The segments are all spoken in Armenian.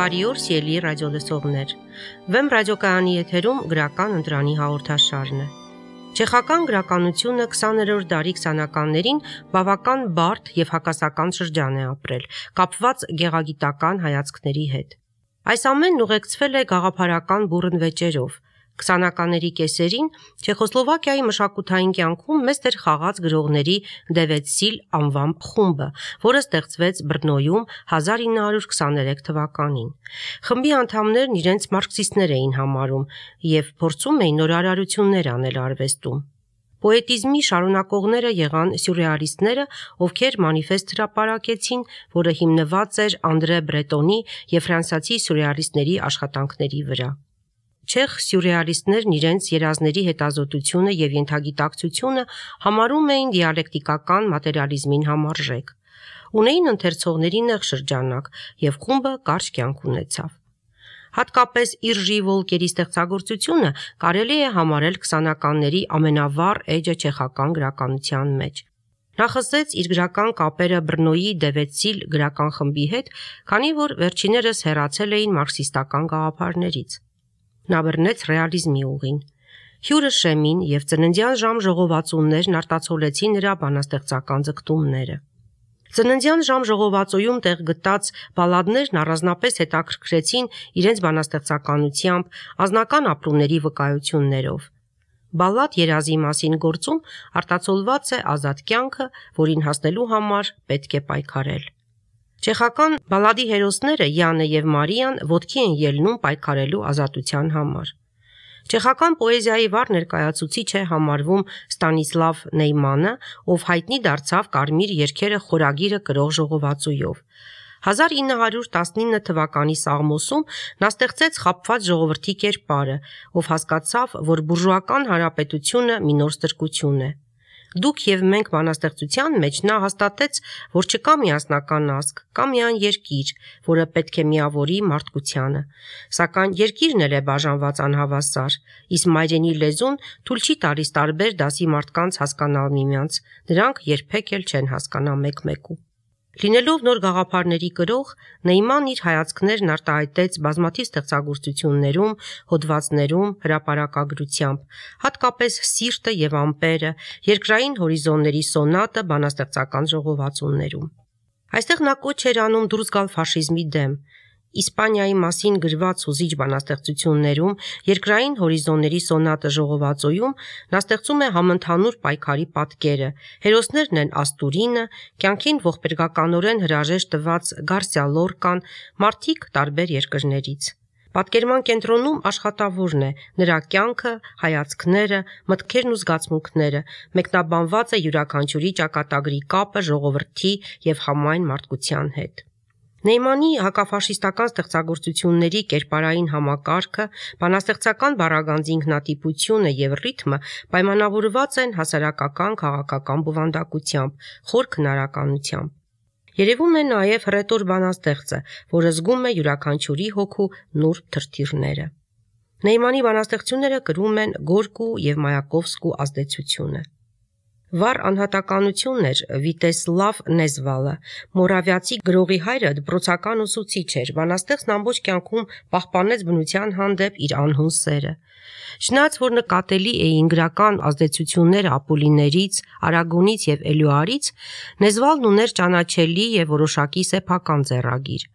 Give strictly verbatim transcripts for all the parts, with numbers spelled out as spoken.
Բարի օր, սիրելի ռադիոլսողներ։ Վեմ ռադիոկայանի եթերում գրական ընտրանի հաղորդաշարն է։ Չեխական գրականությունը քսաներորդ դարի քսանականներին բավական բարդ եւ հակասական շրջան է ապրել, կապված գեղագիտական հայացքների հետ։ Այս ամենն ուղեկցվել է գաղափարական բուռն վեճերով։ քսանականների կեսերին Չեխոսլովակիայի մշակութային կյանքում մեծ դեր խաղաց գրողների Դևեցիլ անվան խումբը, որը ստեղծվեց Բրնոյում հազար ինը հարյուր քսաներեք թվականին։ Խմբի անդամներն իրենց մարքսիստներ էին համարում եւ փորձում էին նորարարություններ անել արվեստում։ Պոետիզմի շարունակողները եղան սյուրռեալիստները, ովքեր մանիֆեստ հրապարակեցին, որը հիմնված էր Անդրե Բրետոնի եւ ֆրանսիացի սյուրռեալիստների աշխատանքների վրա։ Չեխ սյուրռեալիստներն իրենց երազների հետազոտությունը եւ ենթագիտակցությունը համարում էին դիալեկտիկական մատերիալիզմին համարժեք։ Ունեին ընթերցողների նեղ շրջանակ եւ խումբը կարճ կյանք ունեցավ։ Հատկապես Իռժի Վոլկերի ստեղծագործությունը կարելի է համարել քսանականների ամենավառ էջը չեխական գրականության մեջ։ Նա խզեց իր գրական կապերը Բրնոյի Դևեցիլ գրական խմբի հետ, քանի որ վերջիներս հեռացել էին մարքսիստական գաղափարներից։ Նա բռնեց ռեալիզմի ուղին։ Հյուրը Շեմին եւ ծննդյան ժամ ժողովածուներն արտացոլեցին նրա բանաստեղծական ձգտումները։ Ծննդյան ժամ ժողովածոյում տեղ գտած բալադներն առանձնապես հետաքրքրեցին իրենց բանաստեղծականությամբ, անձնական ապրումների վկայություններով։ Բալլադ երազի մասին գործում արտացոլված է ազատ կյանքը, որին հասնելու համար պետք է պայքարել։ Չեխական բալլադի հերոսները Յանը եւ Մարիան ոտքի են ելնում պայքարելու ազատության համար։ Չեխական պոեզիայի վառ ներկայացուցիչ է համարվում Ստանիսլավ Նեյմանը, ով հայտնի դարձավ Կարմիր երգերը խորագիրը կրող ժողովածույով։ հազար ինը հարյուր տասնինը թվականի Սաղմոսում նա ստեղծեց խաբված ժողովրդի կերպարը, ով հասկացավ, որ բուրժուական հանրապետությունը մի նոր ստրկություն է։ Դուք եւ մենք բանաստեղծության մեջ նա հաստատեց, որ չկա միասնական ազգ, կա միայն երկիր, որը պետք է միավորի մարդկությանը, սակայն երկիրն էլ է բաժանված անհավասար, իսկ մայրենի լեզուն թույլ չի տալիս տարբեր դասի մարդկանց հասկանալ միմյանց, նրանք երբեք էլ չեն հասկանա մեկ-մեկու։ Լինելով նոր գաղափարների կրող, Նեյման իր հայացքներն արտահայտեց բազմաթիվ ստեղծագործություններում, հոդվածներում, հրապարակագրությամբ, հատկապես Սիրտը եւ ամպերը, երկրային հորիզոնների սոնատը բանաստեղծական ժողովածուներում։ Այստեղ նա կոչ էր անում դուրս գալ ֆաշիզմի դեմ։ Իսպանիայի մասին գրված հուզիչ բանաստեղծություններում, երկրային հորիզոնների սոնատը ժողովածոյում նա ստեղծում է համընդհանուր պայքարի պատկերը։ Հերոսներն են Աստուրինը, կյանքին ողբերգականորեն հրաժեշտ տված Գարսիա Լորկան, մարդիկ տարբեր երկրներից։ Պատկերման կենտրոնում աշխատավորն է, նրա կյանքը, հայացքները, մտքերն ու զգացմունքները, մեկնաբանված է յուրաքանչյուրի ճակատագրի կապը ժողովրդի եւ համայն մարդկության հետ։ Նեյմանի հակաֆաշիստական ստեղծագործությունների կերպարային համակարգը, բանաստեղծական բառագանձի ինքնատիպությունը եւ ռիթմը պայմանավորված են հասարակական քաղաքական բովանդակությամբ, խոր քնարականությամբ։ Երևում է նաեւ հռետոր բանաստեղծը, որը զգում է յուրաքանչյուրի հոգու նուրբ թրթիռները։ Նեյմանի բանաստեղծությունները կրում են Գորկու եւ Մայակովսկու ազդեցությունը։ Վառ անհատականություն էր Վիտեսլավ Նեզվալը, մորավիացի գրողի հայրը դպրոցական ուսուցիչ էր, բանաստեղծն ամբողջ կյանքում պահպանեց բնության հանդեպ իր անհուն սերը։ Չնայած որ նկատելի էին գրական ազդեցությունները Ապոլիներից, Արագոնից եւ Էլյուարից, Նեզվալն ուներ ճանաչելի եւ որոշակի սեփական ձեռագիր։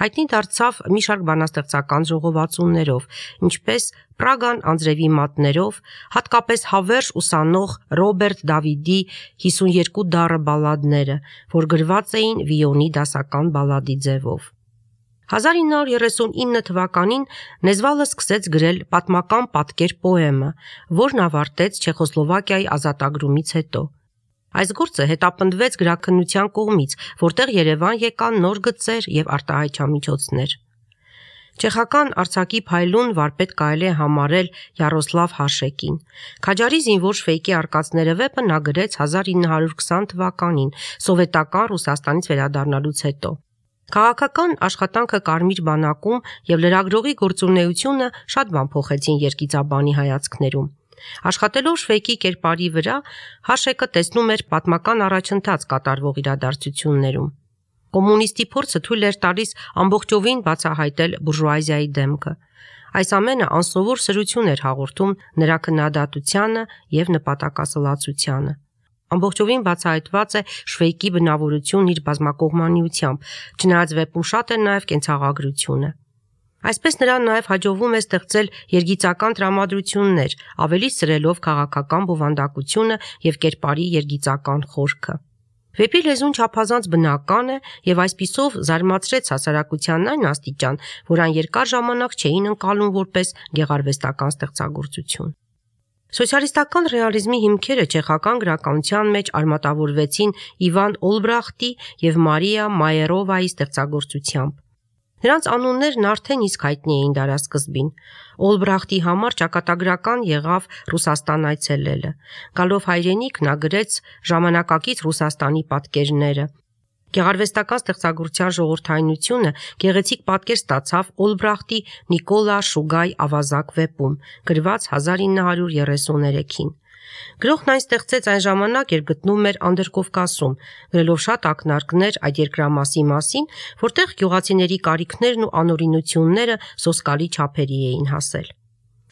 Հայտնի դարձավ մի շարք բանաստեղծական ժողովածուներով, ինչպես Պրագան անձրևի մատներով, հատկապես հավերժ ուսանող Ռոբերտ Դավիդի հիսունյերկու դառը բալլադները, որ գրված էին վիոնի դասական բալլադի ձևով։ հազար ինը հարյուր երեսունինը թվականին Նեզվալը սկսեց գրել պատմական պատկեր պոեմը, որն ավարտեց Չեխոսլովակիայի ազատագրումից հետո։ Այս գործը հետապնդվեց գրաքննության կողմից, որտեղ Երևան եկան նոր գծեր եւ արտահայտչամիջոցներ։ Չեխական արձակի փայլուն վարպետ կարելի է համարել Յարոսլավ Հաշեկին։ Քաջարի զինվոր շվեյկի արկածները վեպը նա գրեց հազար ինը հարյուր քսան թվականին, սովետական Ռուսաստանից վերադառնալուց հետո։ Քաղաքական աշխատանքը Կարմիր բանակում եւ լրագրողի գործունեությունը շատ բան փոխեցին երգիծաբանի հայացքներում։ Աշխատելով շվեյկի կերպարի վրա, Հաշեկը տեսնում էր պատմական առաջընթաց կատարվող իրադարձություններում։ Կոմունիստի փորձը թույլ էր տալիս ամբողջովին բացահայտել բուրժուազիայի դեմքը։ Այս ամենը անսովոր սրություն էր հաղորդում նրա քննադատությանը եւ նպատակասլացությանը։ Ամբողջովին բացահայտված է Շվեյկի բնավորությունն իր բազմակողմանիությամբ, չնայած վեպում շատ է նաեւ կենցաղագրությունը։ Այսպես նրան նաև հաջողվում է ստեղծել երգիծական տրամադրություններ, ավելի սրելով քաղաքական բովանդակությունը եւ կերպարի երգիծական խորքը։ Վեպի լեզուն չափազանց բնական է եւ այսպիսով զարմացրեց հասարակությանն այն աստիճան, որ այն երկար ժամանակ չէին ընկալում որպես գեղարվեստական ստեղծագործություն։ Սոցիալիստական ռեալիզմի հիմքերը չեխական գրականության մեջ արմատավորվեցին Իվան Օլբրախտի եւ Մարիա Մայերովայի ստեղծագործությամբ։ Նրանց անուններն արդեն իսկ հայտնի էին դարասկզբին։ Օլբրախտի համար ճակատագրական եղավ Ռուսաստան այցելելը։ Գալով հայրենիք նա գրեց ժամանակակից Ռուսաստանի պատկերները։ Գեղարվեստական ստեղծագործության ժողովրդայնությունը գեղեցիկ պատկեր ստացավ Օլբրախտի Նիկոլա Շուգայ ավազակ վեպում, գրված հազար ինը հարյուր երեսուններեքին։ Գրողն այն ստեղծեց այն ժամանակ, երբ գտնում էր Անդրկովկասում, գրելով շատ ակնարկներ այդ երկրամասի մասին, որտեղ գյուղացիների կարիքներն ու անօրինությունները սոսկալի չափերի էին հասել։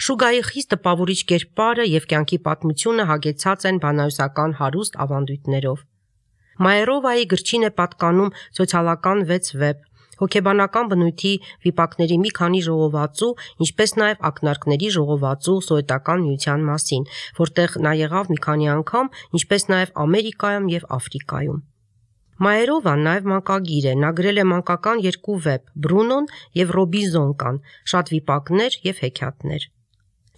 Շուգայի խիստ տպավորիչ կերպարը եւ կյանքի պատմությունը հագեցած են բանահյուսական հարուստ ավանդույթներով։ Մայերովայի գրչին է պատկանում սոցիալական վեց վեպ, հոգեբանական բնույթի վիպակների մի քանի ժողովածու, ինչպես նաև ակնարկների ժողովածու սովետական միության մասին, որտեղ նա եղավ մի քանի անգամ, ինչպես նաև Ամերիկայում եւ Աֆրիկայում։ Մայերովան նաև մանկագիր է, նա գրել է մանկական երկու վեպ՝ Բրունոն եւ Ռոբինզոն, շատ վիպակներ եւ հեքիաթներ։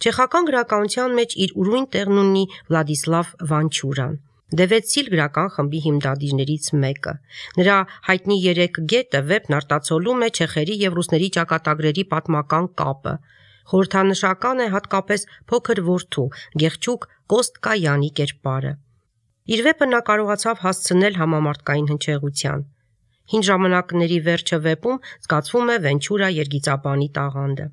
Չեխական գրականության մեջ իր ուրույն տեղն ունի Վլադիսլավ Վանչուրան, Դևեցիլ գրական խմբի հիմնադիրներից մեկը։ Նրա հայտնի երեք գետը վեպն արտացոլում է չեխերի եւ ռուսների ճակատագրերի պատմական կապը։ Խորհրդանշական է հատկապես փոքր որդու Գեղչուկ Կոստկայանի կերպարը։ Իր վեպը նա կարողացավ հասցնել համամարտկային հնչեղության։ Հին ժամանակների վերջը վեպում զգացվում է Վենչուրա երգիծաբանի տաղանդը։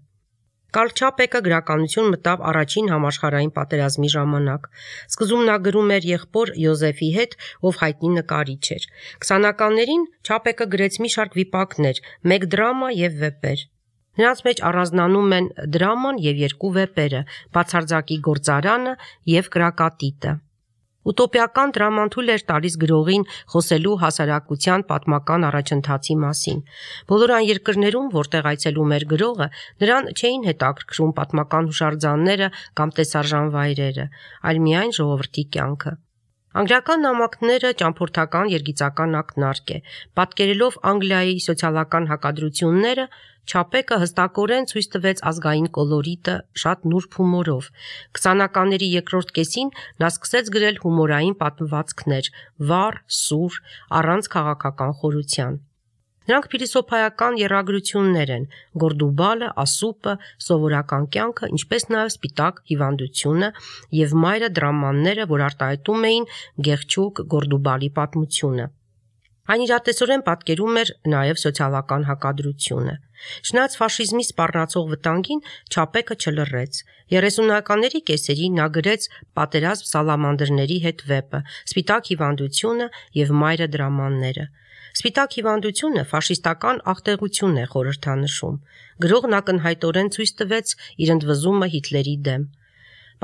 Կարլ Չապեկը գրականություն մտավ առաջին համաշխարհային պատերազմի ժամանակ։ Սկզբում նա գրում էր եղբոր Յոզեֆի հետ, ով հայտնի նկարիչ էր։ Քսանականներին Չապեկը գրեց մի շարք վիպակներ, մեկ դրամա եւ վեպեր։ Նրանց մեջ առանձնանում են դրաման եւ երկու վեպերը՝ Բացարձակի գործարանը եւ Կրակատիտը։ Ուտոպիական դրաման թույլ էր տալիս գրողին խոսելու հասարակության պատմական առաջընթացի մասին։ Բոլոր այն երկրներում, որտեղ այցելում էր գրողը, նրան չէին հետաքրքրում պատմական հուշարձանները կամ տեսարժան վայրերը, այլ միայն ժողովրդի կյանքը։ Անգլիական նամակները ճամփորդական երգիծական ակնարկ է։ Պատկերելով Անգլիայի սոցիալական հակադրությունները, Չապեկը հստակորեն ցույց տվեց ազգային կոլորիտը շատ նուրբ հումորով։ Քսանականների երկրորդ կեսին նա սկսեց գրել հումորային պատմվածքներ՝ վառ, սուր, առանց քաղաքական խորության։ Նրանք փիլիսոփայական եռագրություններ են՝ Գորդուբալը, Ասուպը, սովորական կյանքը, ինչպես նաև Սպիտակ հիվանդությունը եւ մայրը դրամանները, որ արտահայտում էին Գեղչուկ Գորդուբալի պատմությունը։ Այն իրատեսորեն պատկերում էր նաև սոցիալական հակադրությունը։ Չնայած ֆաշիզմի սպառնացող վտանգին Չապեկը չլռեց։ երեսունականների կեսերին նա գրեց Պատերազմ սալամանդրների հետ վեպը, Սպիտակ հիվանդությունը եւ մայրը դրամանները։ Սպիտակ հիվանդությունը ֆաշիստական աղտեղություն է խորհրդանշում։ Գրողն ակնհայտորեն ցույց տվեց իր ընդվզումը Հիտլերի դեմ։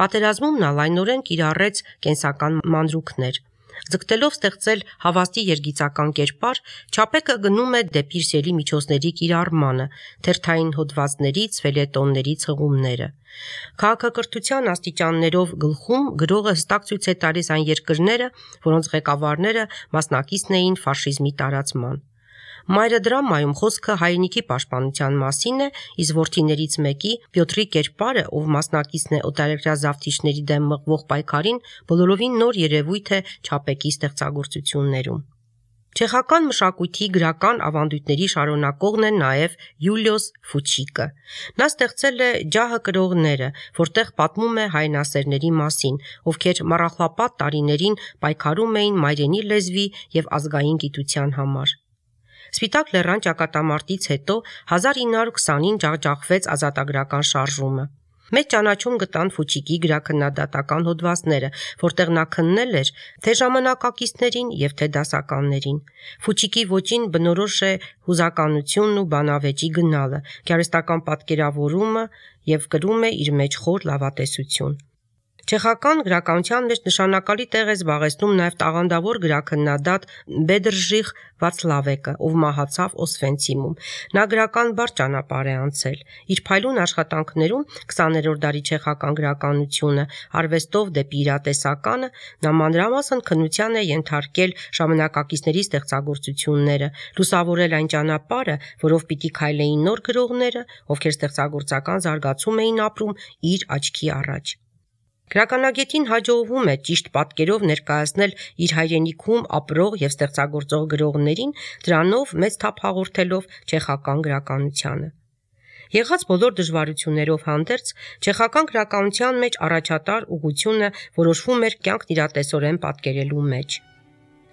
Պատերազմում նա լայնորեն կիրառեց կենսական մանրուքներ։ Ձգտելով ստեղծել հավաստի երգիծական կերպար, Չապեկը գնում է դեպի իր սիրելի միջոցների կիրառմանը, թերթային հոդվածներից, ֆելյետոններից հղումները։ Քաղաքակրթության աստիճաններով գլխում գրողը հստակ ցույց է տալիս այն երկրները, որոնց ղեկավարները մասնակիցն էին ֆաշիզմի տարածման։ Մայրը դրամայում խոսքը հայրենիքի պաշտպանության մասին է, իսկ որդիներից մեկի Պյոտրի կերպարը, ով մասնակիցն է օտարերկրյա զավթիչների դեմ մղվող պայքարին, բոլորովին նոր երևույթ է Չապեկի ստեղծագործություններում։ Չեխական մշակույթի գրական ավանդույթների շարունակողն է նաև Յուլիոս Ֆուչիկը։ Նա ստեղծել է Ջահը կրողները, որտեղ պատմում է հայրենասերների մասին, ովքեր մառախլապատ տարիներին պայքարում էին մայրենի լեզվի եւ ազգային գիտության համար։ Սպիտակ լեռան ճակատամարտից հետո հազար ինը հարյուր քսանին ջախջախվեց ազատագրական շարժումը։ Մեծ ճանաչում գտան Ֆուչիկի գրաքննադատական հոդվածները, որտեղ նա քննել էր թե ժամանակակիցներին եւ թե դասականներին։ Ֆուչիկի ոճին բնորոշ է հուզականությունն ու բանավեճի գնալը, գեղարվեստական պատկերավորումը եւ կրում է իր մեջ խոր լավատեսություն։ Չեխական գրականության մեջ նշանակալի տեղ է զբաղեցնում նաև տաղանդավոր գրաքննադատ Բեդրժիխ Վացլավեկը, ով մահացավ Օսվենցիմում։ Նա գրական բարդ ճանապարհ է անցել։ Իր փայլուն աշխատանքներում քսաներորդ դարի չեխական գրականությունը, արվեստով դեպի իրատեսականը, նա մանրամասն քննության է ենթարկել ժամանակակիցների ստեղծագործությունները, լուսավորել այն ճանապարհը, որով պիտի քայլեին նոր գրողները, ովքեր ստեղծագործական զարգացում էին ապրում իր աչքի առաջ։ Գրականագետին հաջողվում է ճիշտ պատկերով ներկայացնել իր հայրենիքում ապրող եւ ստեղծագործող գրողներին, դրանով մեծ թափ հաղորդելով չեխական գրականությանը։ Եղած բոլոր դժվարություններով հանդերձ, չեխական գրականության մեջ առաջատար ուղղությունը որոշվում էր կյանքն իրատեսորեն պատկերելու մեջ։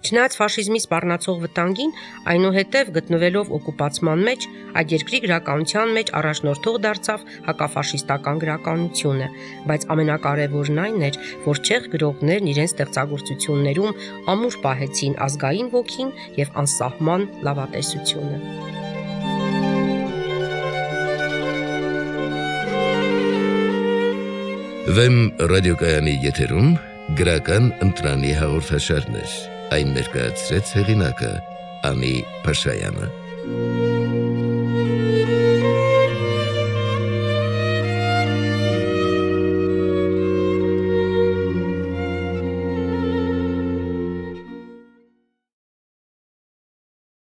Չնայած ֆաշիզմի սպառնացող վտանգին, այնուհետև գտնվելով օկուպացման մեջ, այդ երկրի գրականության մեջ առաջնորդող դարձավ հակաֆաշիստական գրականությունը, բայց ամենակարևորն այն էր, որ չեխ գրողներն իրենց ստեղծագործություններում ամուր պահեցին ազգային ոգին եւ անսահման լավատեսությունը։ Վեմ ռադիոկայանի եթերում գրական ընտրանի հաղորդաշարներ, այն ներկայացրեց հեղինակը Անի Փաշայանը։